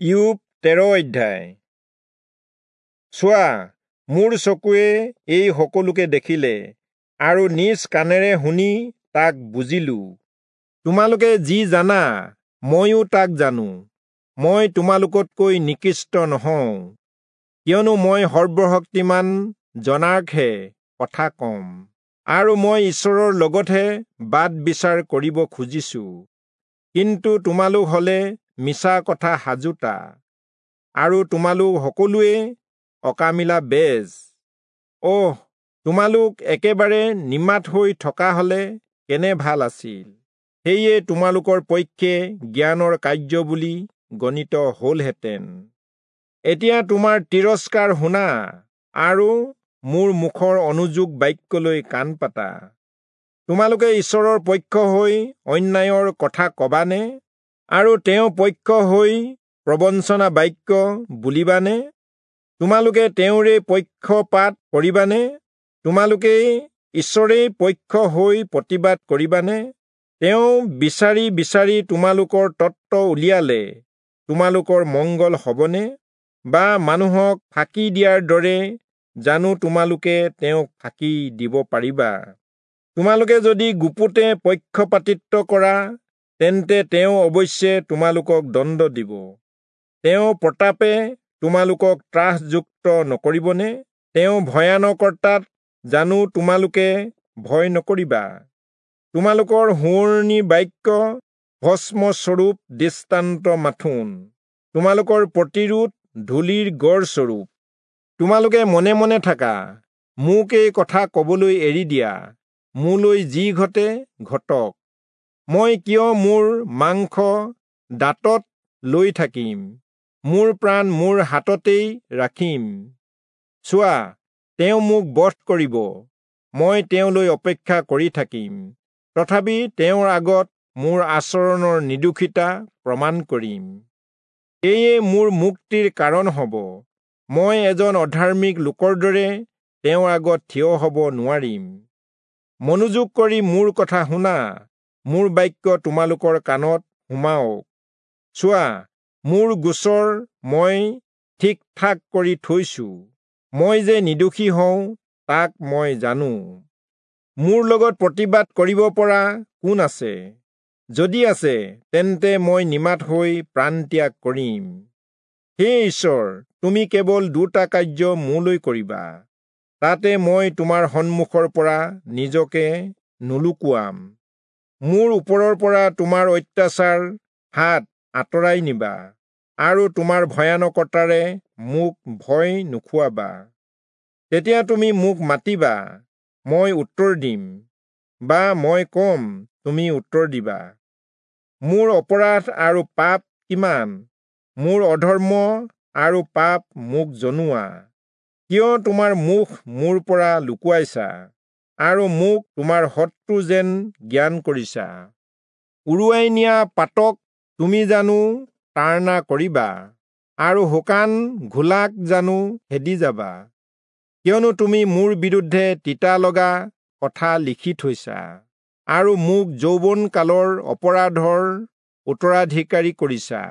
ইয়োব 13 অধ্যায়। চোৱা, মোৰ চকুৱে এই সকলোকে দেখিলে আৰু নিজ কাণেৰে শুনি তাক বুজিলো। তোমালোকে যি জানা ময়ো তাক জানো। মই তোমালোকতকৈ নিকৃষ্ট নহওঁ, কিয়নো মই সৰ্বশক্তিমান জনাকহে কথা কম, আৰু মই ঈশ্বৰৰ লগতহে বাদ বিচাৰ কৰিব খুজিছো। কিন্তু তোমালোক হলে মিছা কথা সাজোতা, আৰু তোমালোক সকলোৱে অকামিলা বেজ। অহ, তোমালোক একেবাৰে নিমাত হৈ থকা হলে কেনে ভাল আছিল! সেয়ে তোমালোকৰ পক্ষে জ্ঞানৰ কাৰ্য বুলি গণিত হলহেঁতেন। এতিয়া তোমাৰ তিৰস্কাৰ শুনা, আৰু মোৰ মুখৰ অনুযোগ বাক্যলৈ কাণ পাতা। তোমালোকে ঈশ্বৰৰ পক্ষ হৈ অন্যায়ৰ কথা কবানে, আৰু তেওঁ পক্ষ হৈ প্ৰবঞ্চনা বাক্য বুলিবানে? তোমালোকে তেওঁৰে পক্ষপাত কৰিবানে? তোমালোকে ঈশ্বৰেই পক্ষ হৈ প্ৰতিবাদ কৰিবানে? তেওঁ বিচাৰি বিচাৰি তোমালোকৰ তত্ত্ব উলিয়ালে তোমালোকৰ মংগল হবনে? বা মানুহক ফাঁকি দিয়াৰ দৰে জানো তোমালোকে তেওঁক ফাঁকি দিব পাৰিবা? তোমালোকে যদি গুপুতে পক্ষপাতিত্ব কৰা, তেন্তে তেওঁ অৱশ্যে তোমালোকক দণ্ড দিব। তেওঁ প্ৰতাপে তোমালোকক ত্ৰাসযুক্ত নকৰিবনে? তেওঁ ভয়ানকতাত জানো তোমালোকে ভয় নকৰিবা? তোমালোকৰ সোঁৱৰণি বাক্য ভস্মস্বৰূপ দৃষ্টান্ত মাথোন, তোমালোকৰ প্ৰতিৰোধ ধূলিৰ গড়স্বৰূপ। তোমালোকে মনে মনে থাকা, মোক এই কথা কবলৈ এৰি দিয়া। মোলৈ যি ঘটে ঘটক। মই কিয় মোৰ মাংস দাঁতত লৈ থাকিম? মোৰ প্ৰাণ মোৰ হাততেই ৰাখিম। চোৱা, তেওঁ মোক বধ কৰিব, মই তেওঁলৈ অপেক্ষা কৰি থাকিম। তথাপি তেওঁৰ আগত মোৰ আচৰণৰ নিৰ্দোষিতা প্ৰমাণ কৰিম। এয়ে মোৰ মুক্তিৰ কাৰণ হব। মই এজন অধাৰ্মিক লোকৰ দৰে তেওঁৰ আগত থিয় হব নোৱাৰিম। মনোযোগ কৰি মোৰ কথা শুনা, মোৰ বাক্য তোমালোকৰ কাণত সোমাওক। চোৱা, মোৰ গোচৰ মই ঠিক ঠাক কৰি থৈছো। মই যে নিৰ্দোষী হওঁ তাক মই জানো। মোৰ লগত প্ৰতিবাদ কৰিব পৰা কোন আছে? যদি আছে, তেন্তে মই নিমাত হৈ প্ৰাণত্যাগ কৰিম। হে ঈশ্বৰ, তুমি কেৱল দুটা কাৰ্য মোলৈ কৰিবা, তাতে মই তোমাৰ সন্মুখৰ পৰা নিজকে নুলুকুৱাম। মোৰ ওপৰৰ পৰা তোমাৰ অত্যাচাৰ হাত আঁতৰাই নিবা, আৰু তোমাৰ ভয়ানকতাৰে মোক ভয় নুখুৱাবা। তেতিয়া তুমি মোক মাতিবা, মই উত্তৰ দিম, বা মই কম, তুমি উত্তৰ দিবা। মোৰ অপৰাধ আৰু পাপ কিমান, মোৰ অধৰ্ম আৰু পাপ মোক জনোৱা। কিয় তোমাৰ মুখ মোৰ পৰা লুকুৱাইছা, আৰু মোক তোমাৰ শত্ৰু যেন জ্ঞান কৰিছা? উৰুৱাই নিয়া পাতক তুমি জানো তাড়না কৰিবা, আৰু শুকান ঘোলাক জানো খেদি যাবা? কিয়নো তুমি মোৰ বিৰুদ্ধে তিতা লগা কথা লিখি থৈছা, আৰু মোক যৌৱন কালৰ অপৰাধৰ উত্তৰাধিকাৰী কৰিছা।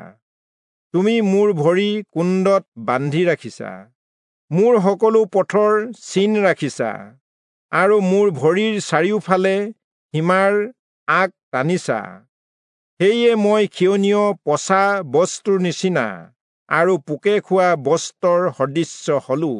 তুমি মোৰ ভৰি কুণ্ডত বান্ধি ৰাখিছা, মোৰ সকলো পথৰ চিন ৰাখিছা, আৰু মোৰ ভৰিৰ চাৰিওফালে সীমাৰ আগ টানিছা। সেয়ে মই ক্ষয়নীয় পচা বস্তুৰ নিচিনা আৰু পোকে খোৱা বস্ত্ৰৰ সদৃশ্য হলো।